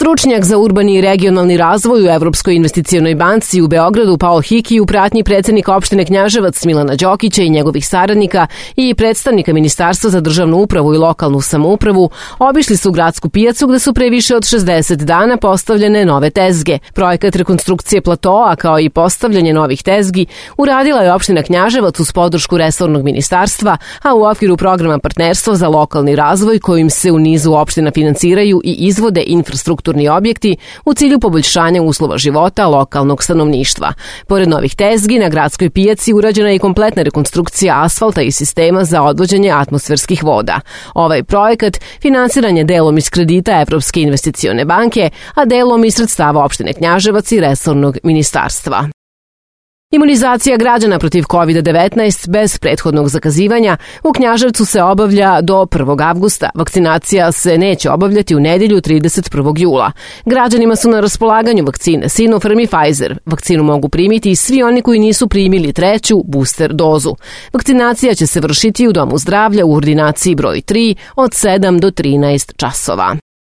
Stručnjak za urbani i regionalni razvoj u Evropskoj investicionoj banci u Beogradu Pao Hiki u pratnji predsednika opštine Knjaževac Milana Đokića i njegovih saradnika i predstavnika Ministarstva za državnu upravu i lokalnu samoupravu obišli su gradsku pijacu gde su pre više od 60 dana postavljene nove tezge. Projekat rekonstrukcije platoa kao i postavljanje novih tezgi uradila je opština Knjaževac uz podršku resornog ministarstva, a u okviru programa Partnerstvo za lokalni razvoj kojim se u nizu opština finansiraju i izvode infrastrukturni objekti u cilju poboljšanja uslova života lokalnog stanovništva. Pored novih tezgi, na gradskoj pijaci urađena je i kompletna rekonstrukcija asfalta i sistema za odvođenje atmosferskih voda. Ovaj projekat finansiran je delom iz kredita Evropske investicione banke, a delom iz sredstava opštine Knjaževac i resornog ministarstva. Imunizacija građana protiv COVID-19 bez prethodnog zakazivanja u Knjaževcu se obavlja do 1. avgusta. Vakcinacija se neće obavljati u nedelju 31. jula. Građanima su na raspolaganju vakcine Sinopharm i Pfizer. Vakcinu mogu primiti i svi oni koji nisu primili treću booster dozu. Vakcinacija će se vršiti u Domu zdravlja u ordinaciji broj 3 od 7 do 13 časova.